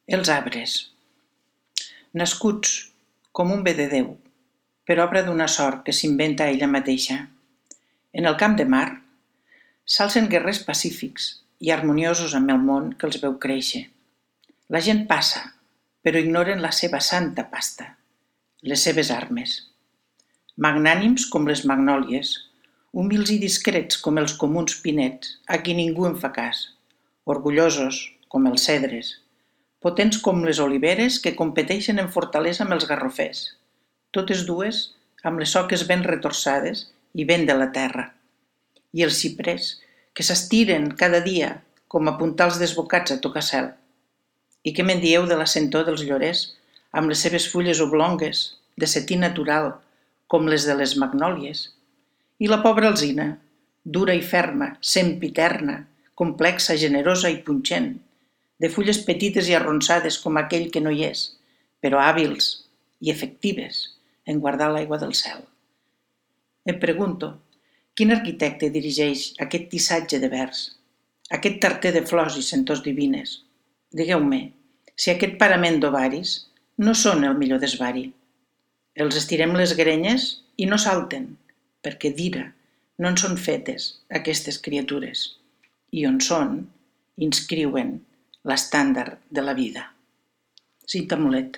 Els arbres, nascuts com un bé de Déu, per obra d'una sort que s'inventa ella mateixa. En el camp de mar, s'alcen guerrers pacífics i harmoniosos amb el món que els veu créixer. La gent passa, però ignoren la seva santa pasta, les seves armes. Magnànims com les magnòlies, humils i discrets com els comuns pinets, a qui ningú en fa cas, orgullosos com els cedres, potents com les oliveres que competeixen en fortalesa amb els garrofers, totes dues amb les soques ben retorçades i ben de la terra, i els xiprers que s'estiren cada dia com a puntals desbocats a tocar cel. I què me'n dieu de la sentor dels llorers amb les seves fulles oblongues, de setí natural, com les de les magnòlies? I la pobra alzina, dura i ferma, sempiterna, complexa, generosa i punxent, de fulles petites i arronsades com aquell que no hi és, però hàbils i efectives en guardar l'aigua del cel. Em pregunto, quin arquitecte dirigeix aquest tissatge de vers, aquest tarter de flors i sentors divines? Digueu-me, si aquest parament d'ovaris no són el millor desvari. Els estirem les grenyes i no salten, perquè d'ira no en són fetes aquestes criatures, i on són, inscriuen l'estàndard de la vida. Cinta Mulet.